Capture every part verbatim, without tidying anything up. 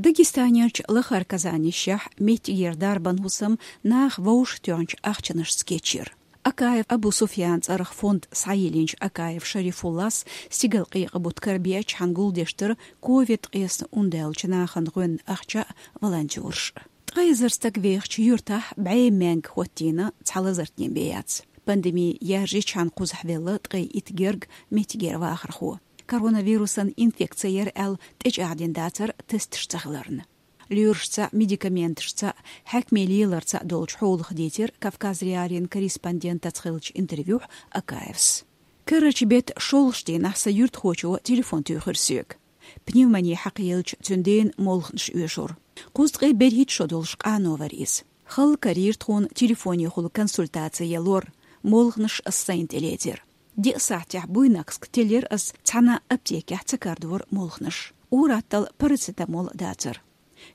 Дагестанерчу Лахара Казанешехь меттигера дарбан хӀусам наха вовшахтоьхначу ахчанашца кечйира. Акаев Абу-Суфьян цӀарах фонд схьайиллинчу Акаев Шарифуллас стигалкъекъа бутт карабеачхьана гулдеш дара ковид ткъаесна ундаьллачу нахана гӀоьнна ахча а, волонтёраш а. Ткъа эзар стаг вехачу юьртахь бӀе маьнга хӀоттийна, цхьа лазартнен бен яц. Пандеми яржийчхьана кхузахь велла ткъе итт герга меттигера вахархо. Коронавирусан инфекци яра аьлла тӀечӀагӀдина дацара тесташ ца хиларна. Лоьрашца а, медикаменташца а, хьаькаме леларца а долчу хьолах дийцира Кавказ.Реалиин корреспондентаца хиллачу интервьюхь Акаевс. Карарчу беттан шолгӀачу дийнахь сан юьртахочо телефон туьйхира соьга. Пневмони хьакхаелча, цуьнан дена молханаш оьшура. Кхузткъе берхӀитта шо долуш къано вара иза. Хала карийра тхуна телефонехула консультаци ян лор, молханаш ас сайна тӀелецира. Диъ сахьтехь Буйнаксках теллира ас, цхьана аптекехь ца карадора молханаш. Ур-атталла парацетамол дацара.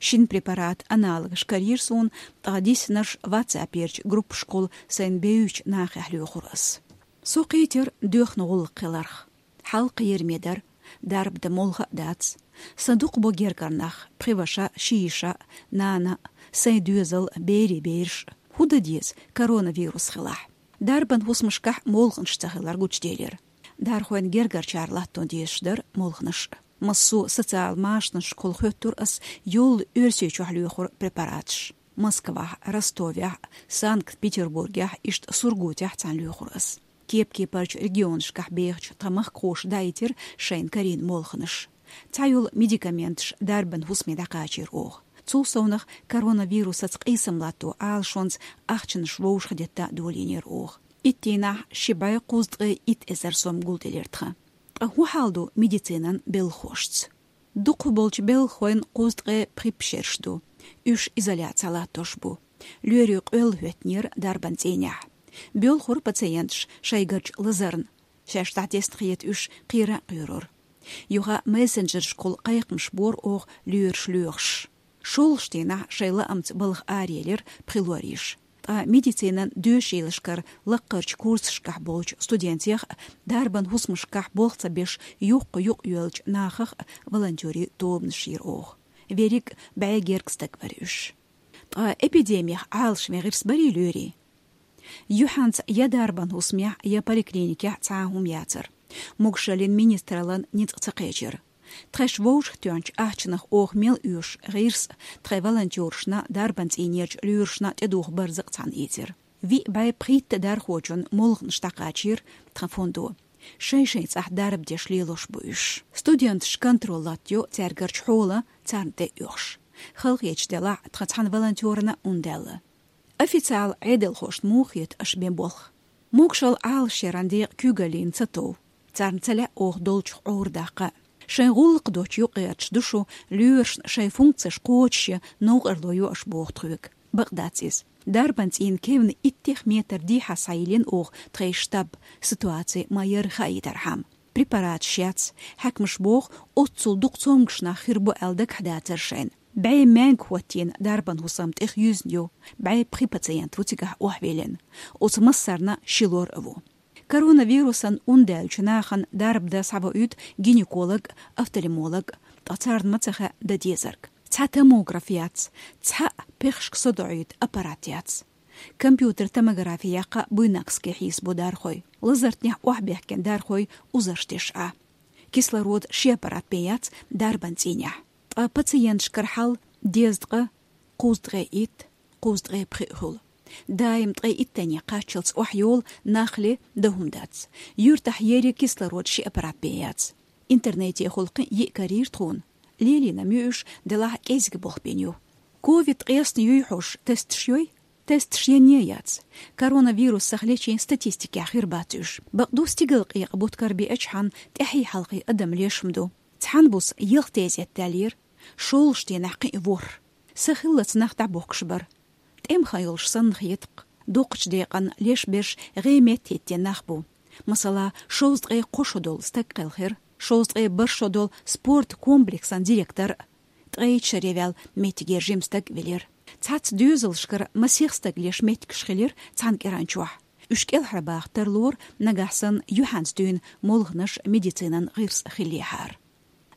Шина препарат аналогаш карийра суна, ткъа диснарш ватсаперчу группашкахула сайна бевзачу нахехь лоьхура ас. Со кхийтира доьхна гӀуллакх хиларх. Хьал кхераме дара, дарба дан молха а дац. Сан дукха бо гергара нах, пхи ваша, ши йиша, нана, сайн доьзал, берийн бераш. ХӀун дан деза коронавирус хилахь? Дарбан хӀусамашкахь молханаш ца хилар гучуделира. Дархойн гергарчара латтон дезаш дара молханаш. Массо а социал машанашкахула хоьттура ас йолу Оьрсийчохь лоьхура препараташ. Москвахь, Ростовехь, Санкт-Петербургехь, иштта Сургутехь цхьаьна лоьхура ас. Кеп-кепарчу регионашкахь бехачу тхан махкахоша даийтира шайна карийна молханаш. Цхьайолу медикаменташ дарбан хӀусаме дӀакхачийра оха. Цул совнах коронавирусаца къийсам латто Ӏалашонца ахчанаш вовшахдетта долийнера оха. Итт дийнахь ши бӀе кхузткъе итт эзар сом гулделира тхан. Ткъа хӀун хьал ду медицинан белхахошца? Дукхахболчу белхахойн кхузткъе пхи пхьерш ду. Уьш изоляци латтош бу. Лоьрийн къоьлла хӀоьттинера дарбан цӀийнехь. Боьлхура пациенташ шайгарчу лазарна. Шаьш дӀатесна хета уьш, кхера а кхоьрура. Юха мессенджерашкахула кхайкхамаш бора оха лоьраш лоьхуш. ШолгӀачу дийнахь шайн лаамца балха араелира пхи лоьраш. Ткъа медицинан доьшийлашкара лаккхарчу курсашкахь болчу студентех а, дарбан хӀусамашкахь болх ца беш, юххе юкъайоьллачу нахах а волонтерийн тобанаш йира оха. Верриг а бӀе герга стаг бара уьш. Ткъа эпидемих Ӏалашван гӀирс барий лоьрийн? Юьхьанца я дарбан хӀусамехь, я поликлиникехь цхьа а хӀума яцара. Могушаллин министраллан ницкъ ца кхечира. Тхаьш вовшахтоьхначу ахчанах оха мел оьшу гӀирс а, тхайн волонтерашна, дарбан цӀийнерчу лоьрашна тӀедуху барзакъ цхьаьна ийцира. Виъ бӀе пхийтта дархочун молханаш дӀакхачийра тхан фондо. Шай-шайн цӀахь дарба деш лелош бу уьш. Студенташ контроль латтайо цаьргарчу хьолан, царна тӀе а оьхуш. Халахеташ делахь, тхан цхьана волонтерна а ун даьлла. Официал Ӏедалхошна муха хета аша бен болх? Могушалла Ӏалашъяран декъа куьйгаллина ца тов. Царна ца лаьа оха долчух Ӏовра даккха. Шайн гӀуллакх доцчу юкъагӀерташ ду шу, лоьрашна шайн функцеш кхочушъян новкъарло йо аша боху тхоьга. Бакъ дац иза. Дарбан цӀийнан кевнна иттех метр дехьа схьайиллина оха тхайн штаб, ситуаци ма-ярра хаийтархьама. Препараташ яц, хьаькамаша боху, оццул дукха цомгуш нах хир бу аьлла дагахь дацара шайна. БӀе маьнга хӀоттийна дарбан хӀусам тӀехъюьзна ю, бӀе пхи пациент ву цигахь охьавиллина. Оцу массарна ши лор а ву. Коронавирусан ун даьллачу нахана дарба дан схьавоуьйту гинеколог, офтальмолог, ткъа царна ма ца хаьа дан дезарг. Цхьа томограф яц, цхьаъ пехашка со доӀуьйту аппарат яц. Компьютер томографи яккха Буйнакске хьийса бу дархой. Лазартнехь охьабаьхкина дархой узарш деш Ӏа. Кислород ши аппарат бен яц дарбан цӀийнехь. Ткъа пациенташкара хьал дезткъа кхузткъе итт, кхузткъе пхиъ хуьлу. Даим ткъе иттанне кхаччалц охьайолу, нах ле, дан хӀума дац. Юьртахь ерриг кислород ши аппарат бен яц. Интернетехула кхин йиъ карийра тхуна. Лелийнарш ю уьш, делахь кӀезиг болх бина ю. Ковид ткъаесна юй хьожуш тесташ йой? Тесташ енне яц. Коронавирус сахьлечийн статистикехь хир бац уьш. Бакъду, стигалкъекъа бутт карабеачхьана тӀаьхьий-хьалхий адам леш ма ду. Цхьана буса ялх тезет даьллера, шолгӀачу дийнахь кхин а ворхӀ. Сахиллалц нах дӀабохкуш бара. ТӀеман хан йолуш санна хета-кх. Дукхачу декъана леш берш гӀе-метта хӀиттийна нах бу. Масала, шовзткъе кхо шо долу стаг кхелхира, шовзткъе бархӀ шо долу спорт комплексан директор а, ткъе итт шаре ваьлла меттигера жима стаг а велира. Цхьацца доьзалшкара масех стаг леш меттигаш хилира цхьана кӀиранчохь. Уьш кӀелхьарбаха тарлора, нагахь санна юьхьанца дуьйна молханаш, медицинан гӀирс а хиллехьара.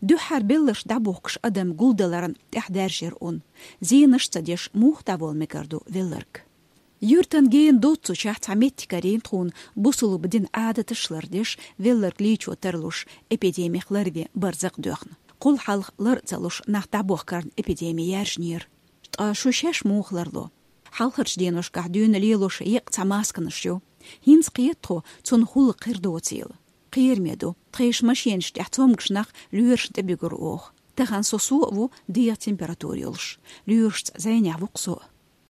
Дуьххьара белларш дӀабохкаш адам гулдаларна тӀехьадаьржира ун. Зенаш ца деш муха дӀаволла мегар ду велларг? Юьртан гена доццучохь цхьа меттиг карийна тхуна бусулба дин Ӏадаташ лардеш, велларг лийчо тарлуш, эпидемих ларве барзакъ доьхна. Кхул хьалха лар а ца луш, нах дӀабохкарна эпидеми яьржинера. Ткъа шу шаьш муха ларло? Хьалхарчу деношкахь дуьйна лелош еккъа цхьа масканаш ю. ХӀинца кхета тхо, цунна хӀуллакх хир доцийла. Кхераме ду, тхешан машенаш тӀехь цомгуш нах лоьрашна тӀе буьгур оха. Тахана со со а ву дегӀан температура йолуш. Лоьрашца зӀенехь ву-кх со.